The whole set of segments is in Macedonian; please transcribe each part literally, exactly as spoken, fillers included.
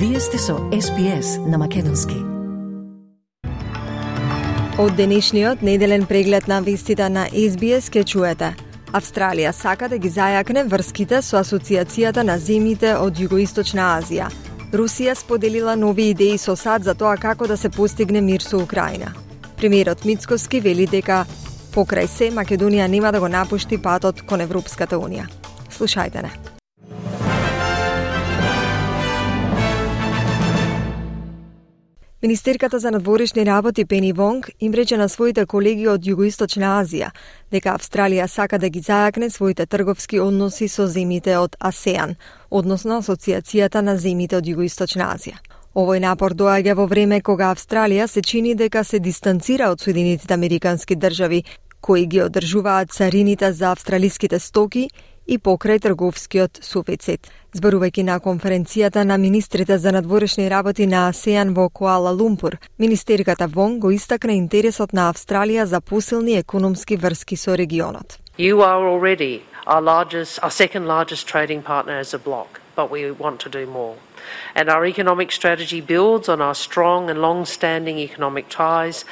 Вие сте со Ес Би Ес на македонски. Од денешниот неделен преглед на вестите на Ес Би Ес ке чуете: Австралија сака да ги зајакне врските со Асоциацијата на земјите од Југоисточна Азија. Русија споделила нови идеи со САД за тоа како да се постигне мир со Украина. Премиерот Мицкоски вели дека покрај се Македонија нема да го напушти патот кон Европската Унија. Слушајте не. Министерката за надворешни работи Пени Вонг им рече на своите колеги од Југоисточна Азија дека Австралија сака да ги зајакне своите трговски односи со земјите од АСЕАН, односно Асоциацијата на земјите од Југоисточна Азија. Овој напор доаѓа во време кога Австралија се чини дека се дистанцира од Соединетите Американски држави, кои ги одржуваат царините за австралиските стоки и покрај трговскиот суфицит. Зборувајќи на конференцијата на министрите за надворешни работи на АСЕАН во Куала Лумпур, министерката Вонг го истакна интересот на Австралија за посилни економски врски со регионот. You are already our largest, our second largest trading partner as a bloc, but we want to do more. And our economic strategy builds on our strong and long-standing economic ties.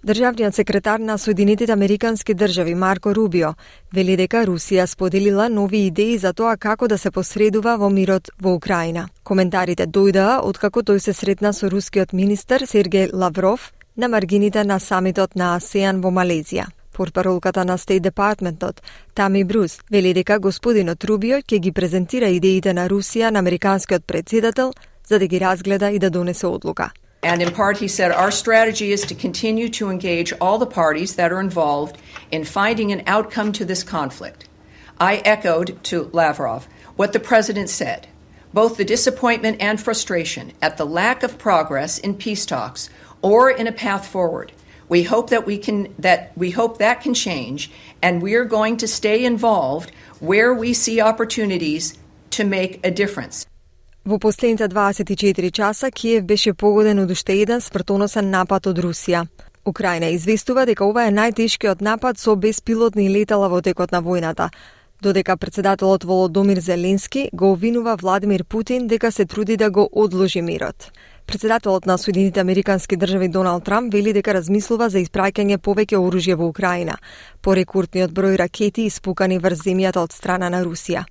Државниот секретар на Соединетите Американски држави Марко Рубио вели дека Русија споделила нови идеи за тоа како да се посредува во мирот во Украина. Коментарите дојдаа откако тој се сретна со рускиот министер Сергеј Лавров на маргините на самитот на АСЕАН во Малезија. Портпаролката на Стейт Департментот Тами Брус вели дека господинот Рубио ќе ги презентира идеите на Русија на американскиот претседател за да ги разгледа и да донесе одлука. And in part, he said, our strategy is to continue to engage all the parties that are involved in finding an outcome to this conflict. I echoed to Lavrov what the president said, both the disappointment and frustration at the lack of progress in peace talks or in a path forward. We hope that we can, that we hope that can change, and we are going to stay involved where we see opportunities to make a difference. Во последните дваесет и четири часа Киев беше погоден од уште еден смртоносен напад од Русија. Украина известува дека ова е најтешкиот напад со беспилотни летала во текот на војната, додека претседателот Володомир Зеленски го обвинува Владимир Путин дека се труди да го одложи мирот. Претседателот на Соединетите Американски држави Доналд Трамп вели дека размислува за испраќање повеќе оружје во Украина, по рекордниот број ракети испукани врз земјата од страна на Русија.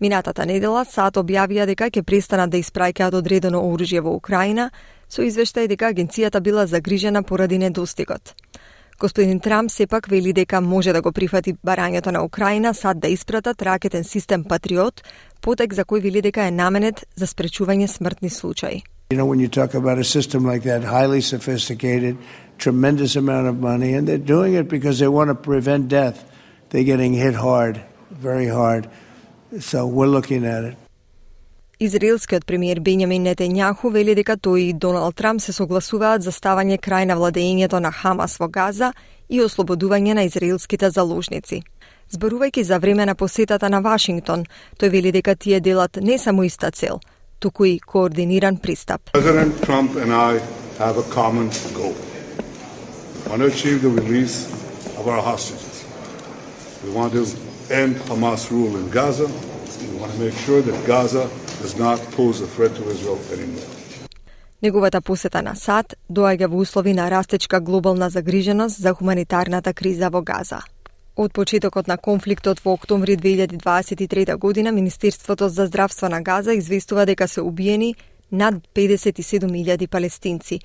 Минатата недела САД објавија дека ќе престанат да испраќаат одредено оружје во Украина, со извештај дека агенцијата била загрижена поради недостигот. Господин Трамп сепак вели дека може да го прифати барањето на Украина САД да испратат ракетен систем Патриот, потек за кој вели дека е наменет за спречување смртни случаи. You know, when you talk about a system like that, highly sophisticated, tremendous amount of money, and they're doing it because they want to prevent death. They're getting hit hard, very hard. So we're looking at it. Израелскиот премиер Бенјамин Нетањаху вели дека тој и Доналд Трамп се согласуваат за ставање крај на владењето на Хамас во Газа и ослободување на израелските заложници. Зборувајќи за време на посетата на Вашингтон, тој вели дека тие делат не само иста цел, туку и координиран пристап. President Trump and I have a common goal. We want to achieve the release of our hostages. We want to end Hamas rule in Gaza. We want to make sure that Gaza does not pose a threat to Israel anymore. Неговата посета на САД доаѓа во услови на растечка глобална загриженост за хуманитарната криза во Газа. Од почетокот на конфликтот во октомври две илјади дваесет и трета година, Министерството за здравство на Газа известува дека се убиени над педесет и седум илјади палестинци.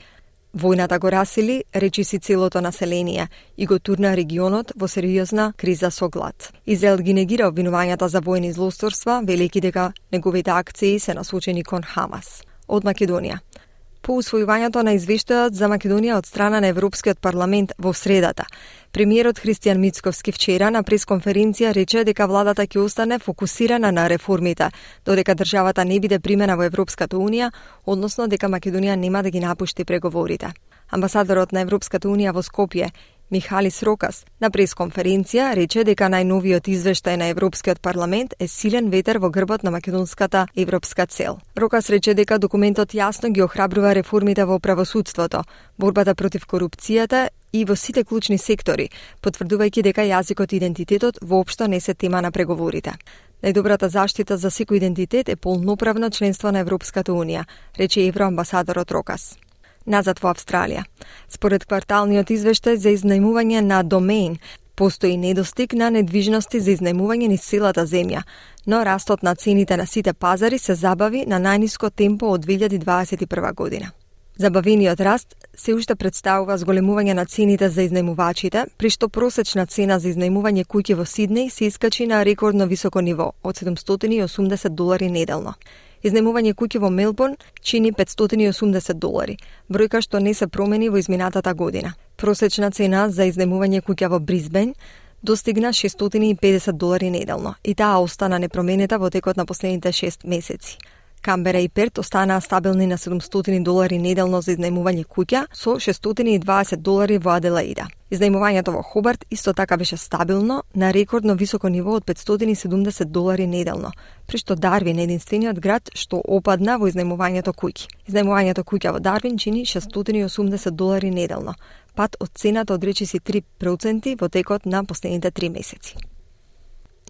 Војната го расили, речиси целото население, и го турна регионот во сериозна криза со глад. Израел ги негира обвинувањата за војни злосторства, велики дека неговите акции се насочени кон Хамас. Од Македонија. По усвојувањето на извештајот за Македонија од страна на Европскиот парламент во средата, премиерот Христијан Мицковски вчера на пресконференција рече дека владата ќе остане фокусирана на реформите, додека државата не биде примена во Европската Унија, односно дека Македонија нема да ги напушти преговорите. Амбасадорот на Европската Унија во Скопје, Михалис Рокас, на пресконференција рече дека најновиот извештај на Европскиот парламент е силен ветер во грбот на македонската европска цел. Рокас рече дека документот јасно ги охрабрува реформите во правосудството, борбата против корупцијата и во сите клучни сектори, потврдувајќи дека јазикот и идентитетот воопшто не се тема на преговорите. Најдобрата заштита за секој идентитет е полноправно членство на Европската унија, рече евроамбасадорот Рокас. Назад во Австралија. Според кварталниот извештај за изнајмување на домеин, постои недостиг на недвижности за изнајмување низ целата земја, но растот на цените на сите пазари се забави на најниско темпо од две илјади дваесет и прва година. Забавениот раст се уште представува зголемување на цените за изнајмувачите, при што просечна цена за изнајмување куќи во Сиднеј се искачи на рекордно високо ниво од седумстотини и осумдесет долари неделно. Изнајмување куќи во Мелбурн чини петстотини и осумдесет долари, бројка што не се промени во изминатата година. Просечна цена за изнајмување куќа во Брисбен достигна шестстотини и педесет долари неделно и таа остана непроменита во текот на последните шест месеци. Камбера и Перт останаа стабилни на седумстотини долари неделно за изнајмување куќа со шестстотини и дваесет долари во Аделаида. Изнајмувањето во Хобарт исто така беше стабилно на рекордно високо ниво од петстотини и седумдесет долари неделно, при што Дарвин е единствениот град што опадна во изнајмувањето куќи. Изнајмувањето куќа во Дарвин чини шестстотини и осумдесет долари неделно, пат од цената од речиси три проценти во текот на последните три месеци.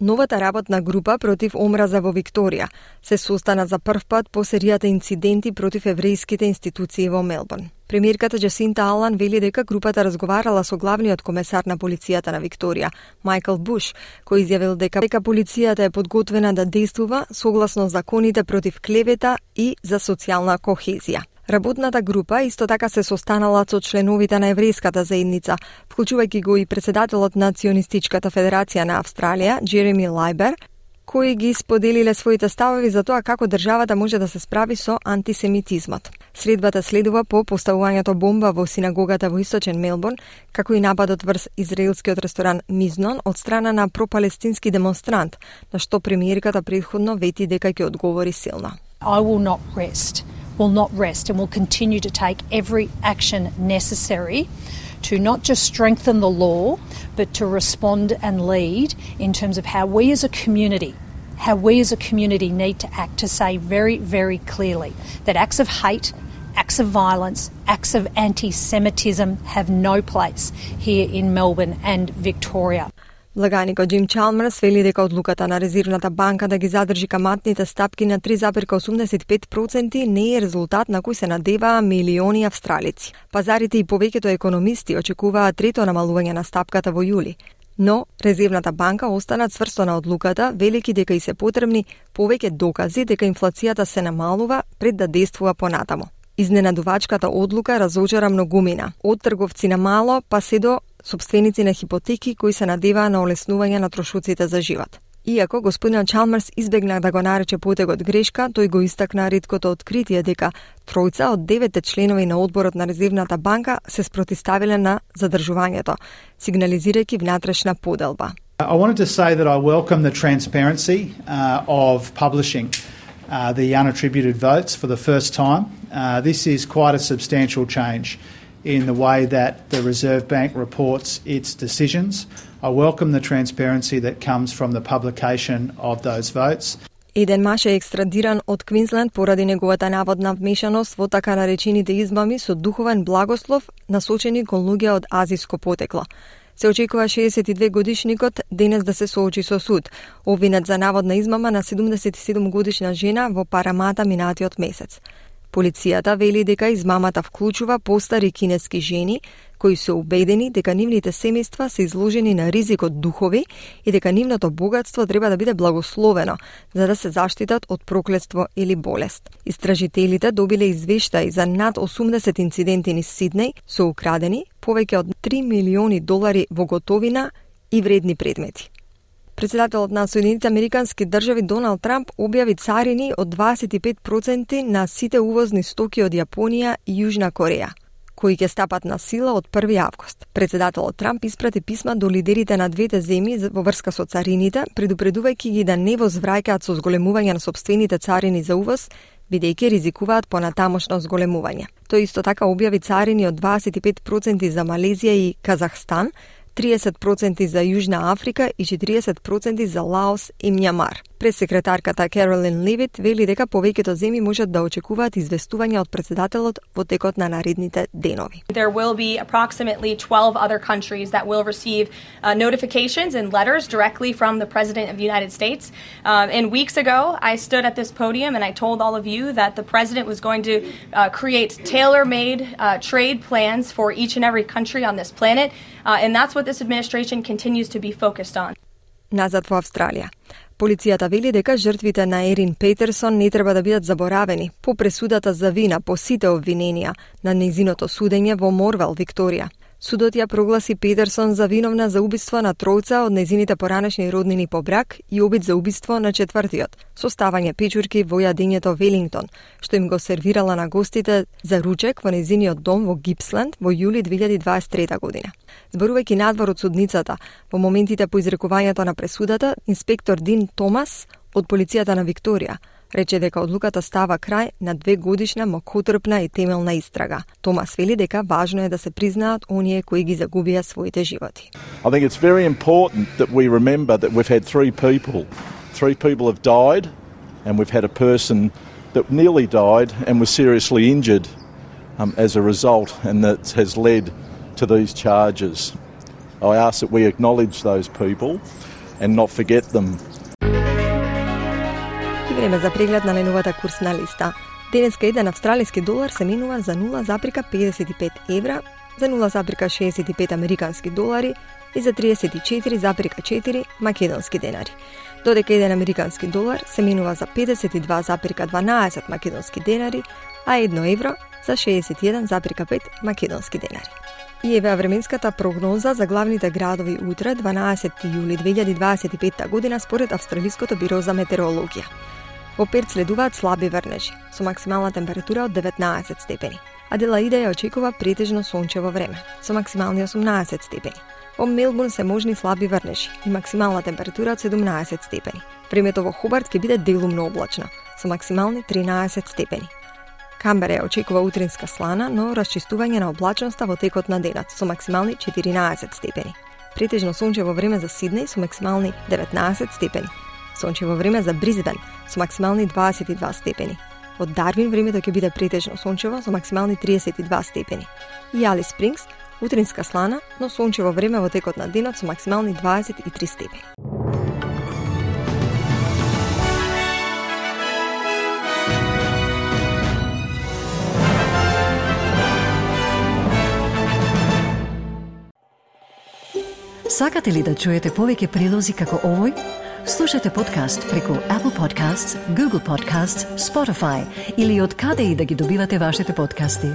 Новата работна група против омраза во Викторија се состана за прв пат по серијата инциденти против еврејските институции во Мелбурн. Премиерката Джасинта Алан вели дека групата разговарала со главниот комесар на полицијата на Викторија, Майкл Буш, кој изјавил дека, дека полицијата е подготвена да действува согласно законите против клевета и за социјална кохезија. Работната група исто така се состанала со членовите на еврејската заедница, вклучувајќи го и председателот на Ционистичката федерација на Австралија, Джереми Лајбер, кои ги споделиле своите ставови за тоа како државата може да се справи со антисемитизмот. Средбата следува по поставувањето бомба во синагогата во источен Мелбурн, како и нападот врз израелскиот ресторан Мизнон од страна на пропалестински демонстрант, на што премиерката претходно вети дека ќе одговори силно. I will not rest. will not rest and will continue to take every action necessary to not just strengthen the law, but to respond and lead in terms of how we as a community, how we as a community need to act to say very, very clearly that acts of hate, acts of violence, acts of anti-Semitism have no place here in Melbourne and Victoria. Влаганикот Джим Чалмерс вели дека одлуката на Резервната банка да ги задржи каматните стапки на три зарез осумдесет и пет проценти не е резултат на кој се надеваа милиони австралици. Пазарите и повеќето економисти очекуваат трето намалување на стапката во јули. Но Резервната банка остана цврсто на одлуката, велики дека и се потребни повеќе докази дека инфлацијата се намалува пред да действува понатаму. Изненадувачката одлука разочара многумина, од трговци на мало па се до сопственици на хипотеки кои се надеваа на олеснување на трошоците за живот. Иако господин Чалмерс избегна да го нарече потегот грешка, тој го истакна реткото откритие дека тројца од деветте членови на одборот на Резервната банка се спротивставиле на задржувањето, сигнализирајќи внатрешна поделба. I wanted to say that I welcome the transparency uh, of publishing uh, the unattributed votes for the first time. Uh, this is quite a substantial change in the way that the Reserve Bank reports its decisions. I welcome the transparency that comes from the publication of those votes. Еден маж е екстрадиран од Квинсленд поради неговата наводна вмешаност во така наречените измами со духовен благослов насочени кон луѓе од азиско потекло. Се очекува шеесет и две годишникот денес да се соочи со суд, обвинет за наводна измама на седумдесет и седум годишна жена во Парамата минатиот месец. Полицијата вели дека измамата вклучува постари кинески жени кои се убедени дека нивните семејства се изложени на ризик од духови и дека нивното богатство треба да биде благословено за да се заштитат од проклетство или болест. Истражителите добиле извештаи за над осумдесет инциденти низ Сиднеј со украдени повеќе од три милиони долари во готовина и вредни предмети. Председателот на Соединетите Американски држави Доналд Трамп објави царини од дваесет и пет проценти на сите увозни стоки од Јапонија и Јужна Кореја, кои ќе стапат на сила од први август. Председателот Трамп испрати писма до лидерите на двете земји во врска со царините, предупредувајќи ги да не возвраќаат со зголемување на сопствените царини за увоз, бидејќи ризикуваат понатамошно зголемување. Тој исто така објави царини од дваесет и пет проценти за Малезија и Казахстан, триесет проценти за Јужна Африка и четириесет проценти за Лаос и Мјанмар. Пресекретарката Керолин Левит вели дека повеќето земји можат да очекуваат известување од председателот во текот на наредните денови. There will be approximately twelve other countries that will receive uh, notifications and letters directly from the President of the United States. Um, and weeks ago, I stood at this podium and I told all of you that the President was going to uh, create tailor-made uh, trade plans for each and every country on this planet. Uh, and that's what this administration continues to be focused on. Назад во Австралија. Полицијата вели дека жртвите на Ерин Петерсон не треба да бидат заборавени по пресудата за вина по сите обвиненија на нејзиното судење во Морвел, Викторија. Судот ја прогласи Петерсон за виновна за убиство на тројца од нејзините поранешни роднини по брак и обид за убиство на четвртиот, со ставање печурки во јадењето Велингтон, што им го сервирала на гостите за ручек во нејзиниот дом во Гипсленд во јули две илјади дваесет и трета година. Зборувајќи надвор од судницата, во моментите по изрекувањето на пресудата, инспектор Дин Томас од полицијата на Викторија рече дека одлуката става крај на две годишна мокотрпна и темелна истрага. Томас вели дека важно е да се признаат оние кои ги загубија своите животи. I think it's very important that we remember that we've had three people. Three people have died and we've had a person that nearly died and was seriously injured um, as a result, and that has led to these charges. I ask that we acknowledge those people and not forget them. Време за преглед на најновата курсна листа. Денеска еден австралиски долар се менува за нула запирка педесет и пет евра, за нула запирка шеесет и пет американски долари и за триесет и четири запирка четири македонски денари. Додека еден американски долар се менува за педесет и два запирка дванаесет македонски денари, а едно евро за шеесет и еден запирка пет македонски денари. И еве временската прогноза за главните градови утре, дванаесети јули две илјади дваесет и петта година, според Австралиското биро за метеорологија. Во Перт следуваат слаби врнежи, со максимална температура од деветнаесет степени. Аделаида ја очекува претежно сончево време, со максимални осумнаесет степени. Во Мелбурн се можни слаби врнежи и максимална температура од седумнаесет степени. Времето во Хобарт ќе биде делумно облачно, со максимални тринаесет степени. Камбера ја очекува утринска слана, но расчистување на облачноста во текот на денот, со максимални четиринаесет степени. Претежно сончево време за Сиднеј со максимални деветнаесет степени. Сончево време за Бризбен со максимални дваесет и два степени. Од Дарвин времето ќе биде претежно сончево со максимални триесет и два степени. И Алис Спрингс утринска слана, но сончево време во текот на денот со максимални дваесет и три степени. Сакате ли да чуете повеќе прилози како овој? Слушате подкаст преку Apple Podcasts, Google Podcasts, Spotify или од каде и да ги добивате вашите подкасти.